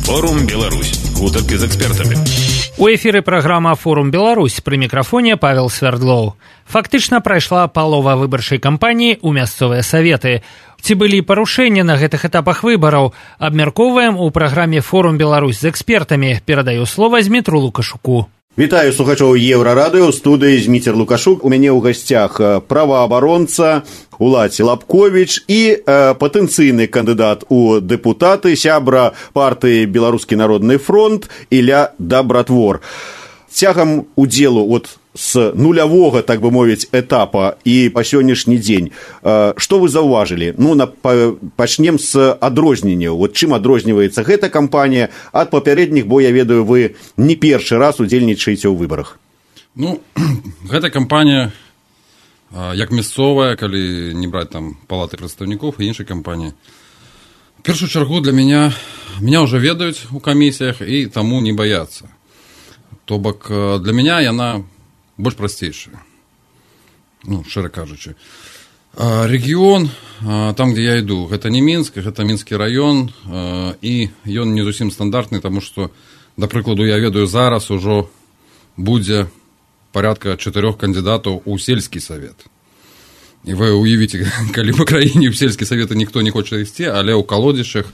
Форум Беларусь. Гутарки з экспертамі. У эфіры праграма «Форум Беларусь». Пры мікрафоне Павел Свердлоў. Фактычна прайшла палова выбарчай кампаніі ў мясцовыя саветы. Ці былі парушэнні на гэтых этапах выбараў? Абмяркоўваем у праграме «Форум Беларусь» з экспертамі. Перадаю слова Змітру Лукашуку. Вітаю слухачоў Еўрарадыё, ў студыі Зміцер Лукашук. У мяне ў гасцях праваабаронца Улаці Лапковіч і патэнцыйны кандыдат у дэпутаты, сябра партыі Беларускі народны фронт Ілля Дабратвор. Цягам удзелу з нулявога, так бы мовіць, этапа і па сённяшні дзень, што вы заўважылі? Пачнем з адрозненняў. Чым адрозніваецца гэта кампанія ад папярэдніх, бо я ведаю, вы не першы раз удзельнічаеце ў выбарах. Гэта кампанія як мясцовая, калі не браць там палаты прадстаўнікоў і іншай кампаніі. В першую чаргу для меня ўжо ведаюць у камісіях і таму не баяцца. То бок для меня яна больш прасцейшая, шчыра кажучы. Рэгіён, там, где я іду, гэта не Мінск, гэта Мінскі раён, і ён не зусім стандартны, таму што, да прыкладу, я ведаю, зараз ужо будзе порядка 4 кандидатаў у сельскі савет. І вы уявіце, калі в краіне ў сельскі савет ніхто не хоча ісці, але ў калодзішах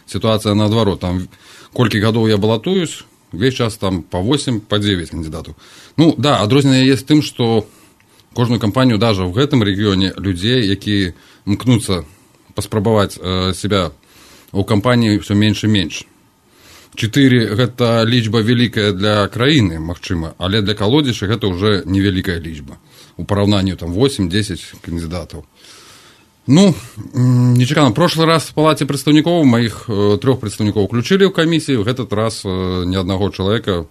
сітуацыя наадварот. Там колькі гадоў я балатуюсь, весь час там по 8, по 9 кандидатаў. Адрозненне есть тым, што кожную кампанію, даже в гэтым рэгіёне, людзей, якія мкнуцца паспрабаваць себя у кампаніі, все менш і менш. 4 гэта лічба вялікая для краіны, магчыма, але для калодзіша гэта ўжо невялікая лічба. У параўнанні там 8-10 кандидатаў. Нечакана. Прошлый раз в палаце прадстаўнікоў маіх 3 прадстаўнікоў уключылі ў камісію, в этот раз ни аднаго чалавека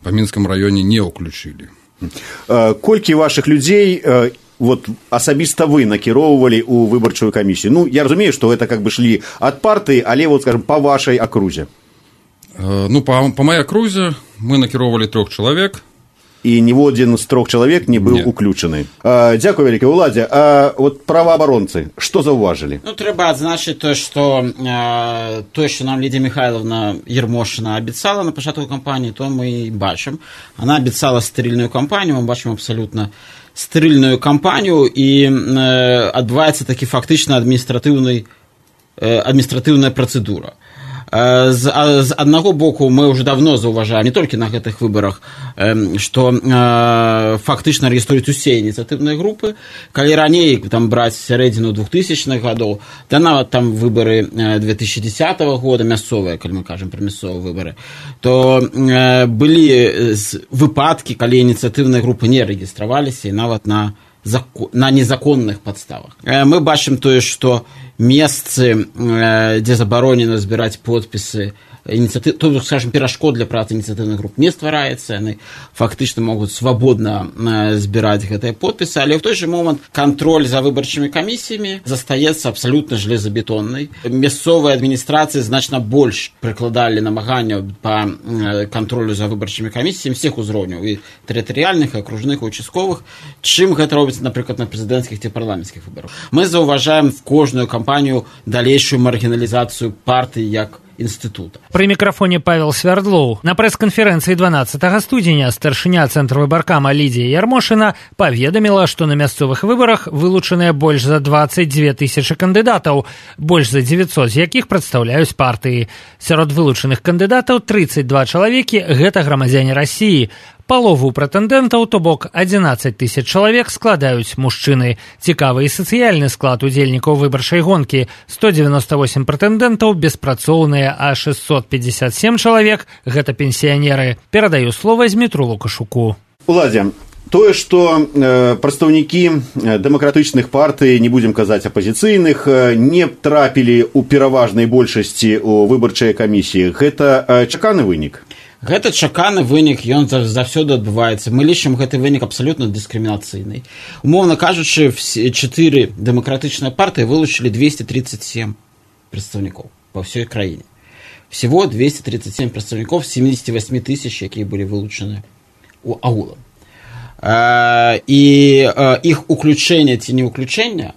па Мінскім раёне не ўключылі. Колькі вашых людзей асабіста вы накіроўвалі ў выбарчую камісію? Я разумею, што гэта как бы шлі ад партыі, але скажем, па вашай акрузе. По моей акрузе мы накіроўвалі 3 чалавек. І ніводзін з 3 чалавек не быў уключаны. Дзякую вялікі, Уладзе. Праваабаронцы, што заўважылі? Трэба адзначыць тое, што нам Лідія Михайловна Ермошина абяцала на пачатку кампаніі, то мы бачым. Она абяцала стерильную кампанію, мы бачым абсалютна стерильную кампанію, і адбываецца такі фактычна адміністратыўная працэдура. З аднаго боку, мы ўжо давно заўважаем, не толькі на гэтых выбарах, што фактычна рэгіструюць усе ініцыятыўныя групы. Калі раней браць сярэдзіну 2000-х гадоў, да нават там выбары 2010 года, мясцовыя, калі мы кажам пра мясцовыя выбары, то былі выпадкі, калі ініцыятыўныя групы не рэгістраваліся, і нават на незаконных падставах. Мы бачым тое, што месцы, дзе забаронена збіраць подпісы, скажем, перашкод для працы ініцыятыўных груп не ствараецца, яны фактычна могуць свабодна збіраць гэтыя подпісы, але ў той жа момант кантроль за выбарчымі камісіямі застаецца абсалютна жалезабетоннай. Мясцовыя адміністрацыі значна больш прыкладалі намаганняў па кантролю за выбарчымі камісіямі всех узроўняў, і тэрытарыяльных, і акружных, і участковых, чым гэта робіцца, напрыклад, на прэзідэнцкіх ці парламенцкіх выбарах. Мы заўважаем в кожную кампанію далейшую маргіналізацыю партыі як інстытута. Пры мікрафоне Павел Свердлоў. На прэс-канферэнцыі 12 студзеня старшыня цэнтра выбаркама Лідія Ермошина паведаміла, што на мясцовых выбарах вылучаныя больш за 22 тысячы кандыдатаў, больш за 900 з якіх прадстаўляюць партыі. Сярод вылучаных кандыдатаў 32 чалавекі гэта грамадзяне Расіі. Палову прэтэндэнтаў, то бок 11 тысяч чалавек, складаюць мужчыны. Цікавы і сацыяльны склад удзельнікаў выбарчай гонкі. 198 прэтэндэнтаў беспрацоўныя, а 657 чалавек – гэта пенсіянеры. Перадаю слова Змітру Лукашуку. Уладзе, тое, што прадстаўнікі дэмакратычных партый, не будзем казаць апазіцыйных, не трапілі ў пераважнай большасці ў выбарчай камісіі, гэта чаканы вынік? Гэта чаканы вынік, ён заўсёды адбываецца. Мы лічым гэты вынік абсалютна дыскрымінацыйны. Умоўна кажучы, 4 дэмакратычныя партыі вылучылі 237 прадстаўнікоў па ўсёй краіне. Всего 237 прадстаўнікоў з 78 тысяч, якія былі вылучаны ў агулам. І іх уключэнне ці не ўключэнне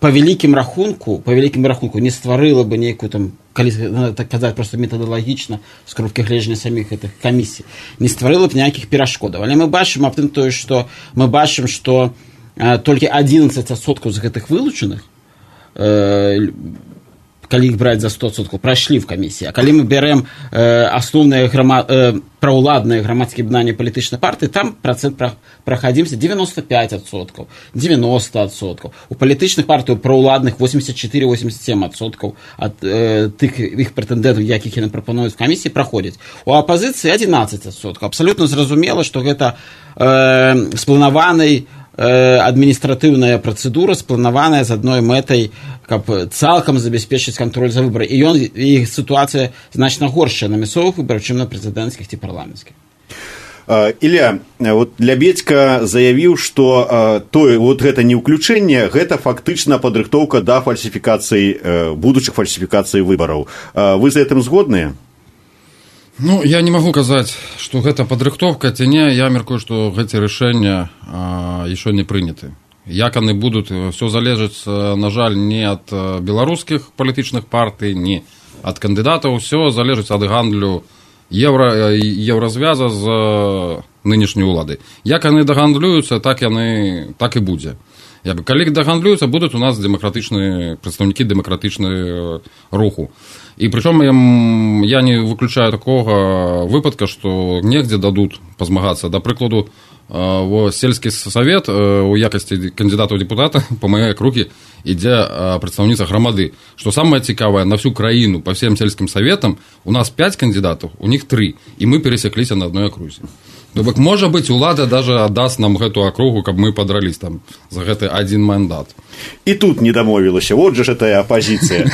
по вялікім рахунку не стварыла бы нейкую там, калі так казаць проста метадалагічна з кропкі гледжання саміх гэтых камісій, не стварыла б ніякіх перашкодаў. Але мы бачым аб тым тое, што мы бачым, што толькі 11% з гэтых вылучаных, калі іх браць за 100%, прайшлі в камісіі. А калі мы бярэм асноўныя праўладныя грамадскія аб'яднання палітычнай партыі, там працэнт прахадзімся 95%, 90%. У палітычных партый праўладных 84-87% ад тых іх прэтэндэнтаў, якіх яны прапануюць в камісіі, праходзяць. У апазіцыі 11%. Абсалютна зразумела, што гэта спланаванай адміністратыўная працэдура, спланаваная з адной мэтай, каб цалкам забяспечыць кантроль за выбары. І сітуацыя значна горшая на мясцовых выбарах, чым на прэзідэнцкіх ці парламенцкіх. Ілля, вот Лябедзька заявіў, што гэта не ўключэнне, гэта фактычна падрыхтоўка да фальсіфікацыі, будучых фальсіфікацый выбараў. Вы з гэтым згодныя? Ну, я не могу казаць, што гэта падрыхтоўка ці не. Я мяркую, што гэты рашэння яшчэ не прыняты. Як яны будуць, все залежыць, на жаль, не ад беларускіх палітычных партый, не ад кандыдатаў, все залежыць ад гандлю еўразвяза з нынешняй улады. Як яны дагандлююцца, так і будзе. Калі дагандлююцца, будуць у нас прадстаўнікі дэмакратычнага руху. І прычым я не выключаю такога выпадка, што негдзе дадуць пазмагацца. Да прыкладу, сельскі савет у якасці кандыдата ў дэпутата па маёй акругі ідзе прадстаўніца грамады. Што самае цікавае, на всю краіну, па всем сельскім саветам, у нас 5 кандыдатаў, у них 3, і мы пересекліся на адной акрузе. Тобто, можа быць, улада даже аддаст нам гэту акругу, каб мы падрались там за гэты один мандат. І тут не дамовілася, вот же тая апозіцыя.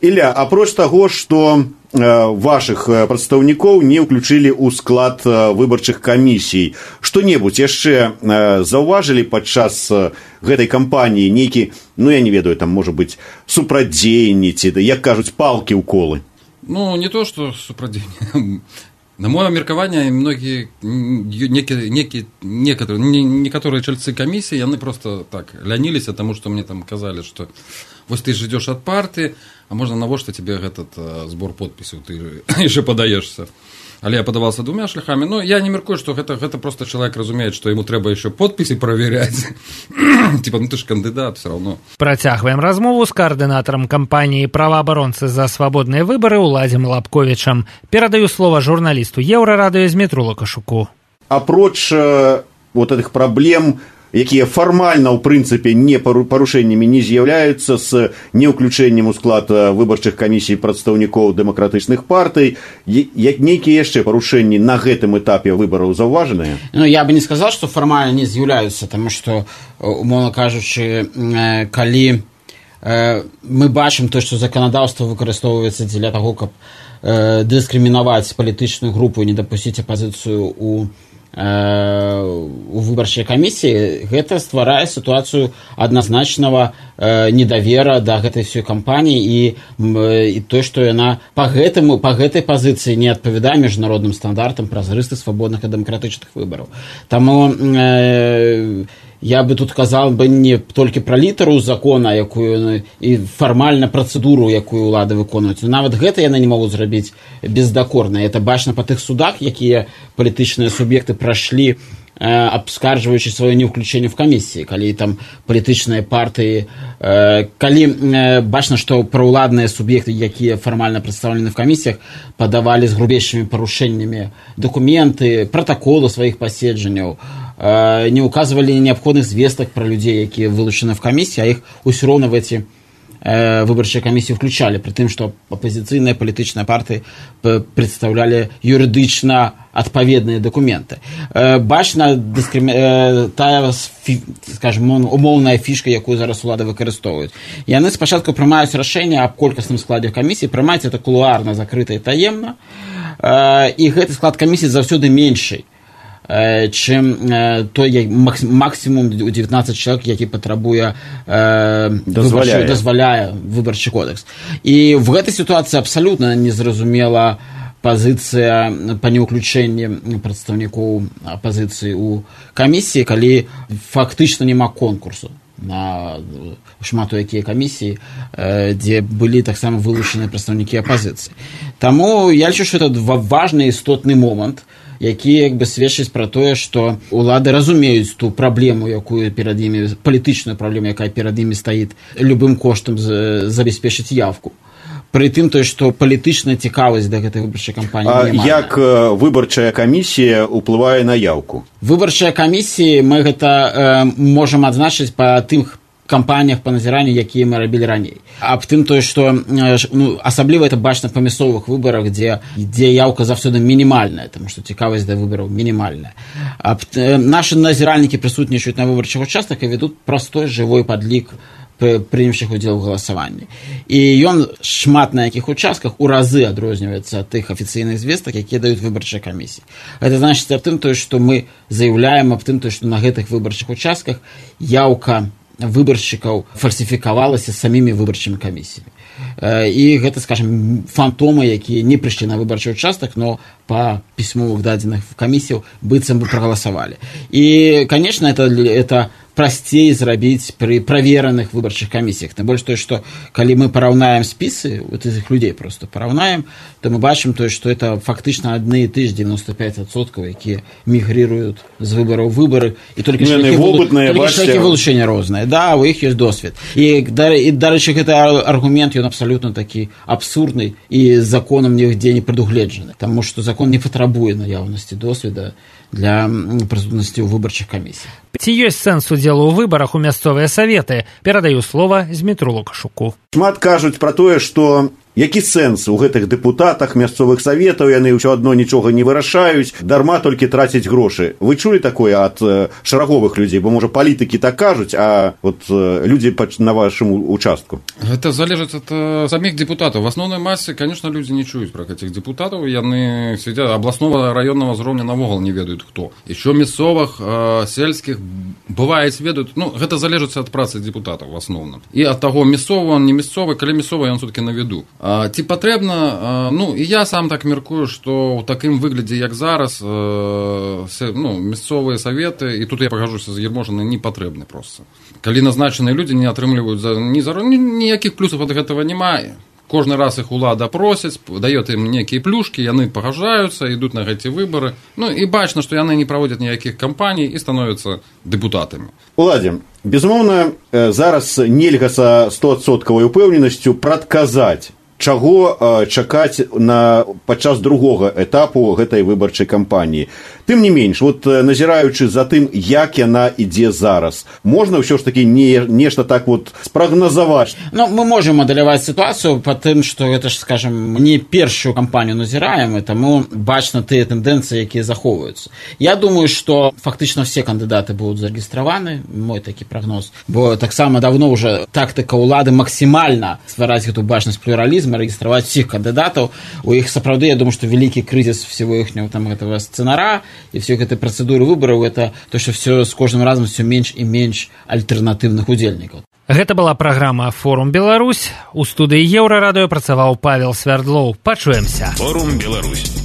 Ілля, апроч таго, што вашых прадстаўнікоў не ўключылі ў склад выбарчых камісій, што-небудзь яшчэ заўважылі падчас гэтай кампаніі нейкі, я не ведаю, там, можа быць, супрадзеянні ці, як кажуць, палкі ў колы? Ну, не то, што супрадзеянні. На мое меркаванне, некоторые чальцы камісіі, яны просто так ляніліся, таму што мне там казалі, што вось ты ж ідзеш ад партыі, а можна навошта тебе этот збор подпісаў, ты яшчэ падаешься. Але я падавался 2 шляхами. Ну, я не меркую, што гэта просто чалавек разумеет, што яму трэба яшчэ подпісы праверяць. Типа, ты ж кандыдат, все равно. Працягваем размову з каардынатарам кампаніі «Праваабаронцы за свабодныя выбары» Уладзем Лапковічам. Перадаю слово журналісту Еўрарадыё Змітру Лукашуку. Апроч вот этих праблем, якія фармальна, ў прынцыпе, не парушэннямі не з'яўляюцца з неўключэннем у склад выбарчых камісій прадстаўнікоў дэмакратычных партый, нейкія яшчэ парушэнні на гэтым этапе выбараў заўважаныя? Ну, я бы не сказал, што фармальна не з'яўляюцца, таму што, умоўна кажучы, калі мы бачым то, што заканадаўства выкарыстоўваецца дзеля таго, каб дыскрымінаваць палітычную групу і не дапусціць апазіцыю у выбарчай камісіі, гэта стварае сітуацыю адназначнага недавера да гэтай всёй кампаніі і то, што яна па гэтай пазіцыі не адпавядае міжнародным стандартам празрыстых, свабодных і дэмакратычных выбараў. Таму я бы тут казал бы не толькі пра літару закона, якую і фармальна працэдуру, якую ўлады выконваюць. Нават гэта яны не могуць зрабіць бездакорна. Это бачна па тых судах, якія палітычныя суб'екты прайшлі, абскарджваючы сваё неўключэнне в камісіі, калі там палітычныя партыі, калі бачна, што праўладныя суб'екты, якія фармальна прадстаўлены в камісіях, падавалі з грубейшымі парушэннямі дакументы, пратаколы сваіх паседжанняў, не указывали необходных звесток про людей, якія вылучаны в камісіі, а іх усё роўна в эти выбарчыя камісіі включали, при тым, што апозіцыйныя палітычныя партыі прадстаўлялі юрыдычна адпаведныя дакументы. Бачна тая, скажем, умоўная фішка, якую зараз улады выкарыстоўваюць. Яны спачатку прымаюць рашэнне аб колькасным складзе камісіі, прымаюць это кулуарна, закрыта і таемна, і гэты склад камісіі заўсёды менший, чым той максимум 19 чалавек, які патрабуе дазваляе выбарчы кодекс. І в гэтай сітуацыі абсалютна незразумела пазіцыя па неўключэнні прадстаўнікоў апазіцыі ў камісіі, калі фактычна няма конкурсу. на шмат у якія камісіі, дзе былі таксама вылучаныя прадстаўнікі апазіцыі. Таму я лічу, што это важны істотны момант, які як бы сведчыць пра тое, што улады разумеюць ту праблему, якую перад імі, палітычную праблему, якая перад імі стаіць, любым коштам забяспечыць явку. Пры тым, што палітычная цікавасць да гэтай выбарчай кампаніі няма. Як выбарчая камісія ўплывае на яўку? Выбарчая камісія, мы гэта можам адзначыць па тым кампаніях па назіранню, якія мы рабілі раней. Аб тым, што асабліва это бачна па мясцовых выбарах, дзе яўка заўсёды мінімальная, таму што цікавасць да выбараў мінімальная. Нашы назіральнікі прысутнічаюць на выбарчых участках і вядуць простой жывой падлік прынявшых удзел у галасаванні. І ён шмат на якіх участках у разы адрозніваецца ад тых афіцыйных звестак, якія даюць выбарчыя камісіі. Гэта значыць аб тым, што мы заяўляем аб тым, што на гэтых выбарчых участках яўка выбаршчыкаў фальсіфікавалася самімі выбарчымі камісіямі. І гэта, скажем, фантомы, якія не прыйшлі на выбарчы участак, но па пісьмовых дадзеных камісіяў быццам бы прагаласавалі. І, конечно, это прасцей зрабіць пры правераных выбарчых камісіях. Тым больш тое, што калі мы параўнаем спісы, вот этих людей просто параўнаем, то мы бачым тое, што это фактычна адны і ты ж 95%, якія мігрыруюць з выбараў выбары, і толькі шляхі вылучэння розныя. Да, у іх ёсць досвед. І, дарэчы, гэты аргумент, ён абсалютна такі абсурдны і законам нігдзе не прадугледжаны, таму што закон не патрабуе наяўнасці досведа для прысутнасці ў выбарчых камісіях. Ці ёсць сэнс удзелу ў выбарах у мясцовыя саветы? Перадаю слова Змітру Лукашуку. Шмат кажуць пра тое, што які сэнс у гэтых дэпутатах мясцовых саветаў, яны ўсё адно нічога не вырашаюць, дарма толькі трацяць грошы. Вы чулі такое ад шараговых людзей? Бо, можа, палітыкі так кажуць, а вот людзі на вашым участку? Это залежыць ад самих депутатаў. В асноўнай масе, конечно, людзі не чуюць пра гэтых депутатаў, яны сядзяць абласнога раённага ўзроўня навогул не ведаюць хто. Ещё мясцовых, сельскіх бываюць ведаюць, ну, гэта залежыць ад працы депутатаў в асноўным. І ад таго, мясцовы он, не мясцовы, калі мясцовы, ён все-таки на виду. Ці патрэбна, ну, і я сам так меркую, што ў такім выглядзе, як зараз, ну, мясцовыя саветы, і тут я пагажуся з Ермошынай, не патрэбны проста. Калі назначаныя людзі не атрымліваюць ніякіх плюсаў ад гэтага немає. Кожны раз іх улада просяць, дает ім нейкія плюшкі, яны пагажаюцца, ідуць на гэты выбары. Ну, і бачна, што яны не праводзяць ніякіх кампаній і становяцца дэпутатамі. Уладзе, безумоўна, зараз нельга са 100% упэўненасцю прадказаць, чаго чакаць падчас другога этапу гэтай выбарчай кампаніі. Тым не менш, вот назіраючы за тым, як яна ідзе зараз, можна ўсё ж такі нешта так вот спрагназаваць? Ну, мы можем мадэляваць сітуацыю па тым, што гэта ж, скажем, не першую кампанію назіраем, і таму бачна тыя тэндэнцыі, якія захоўваюцца. Я думаю, што фактычна все кандыдаты будуць зарэгістраваны, мой такі прагноз, бо таксама давно ўжо тактыка ўлады максімальна ствараць гэту бачнасць плюралізму, рэгістраваць усіх кандыдатаў. У іх сапраўды, я думаю, што вялікі крызіс всего іхняго там гэтага сцэнара і все гэтай працэдуры выбараў, это то, што все з кожным разам все менш і менш альтэрнатыўных удзельнікаў. Гэта была праграма «Форум Беларусь». У студыі Еўрарадыё працаваў Павел Свярдлоў. Пачуемся. «Форум Беларусь».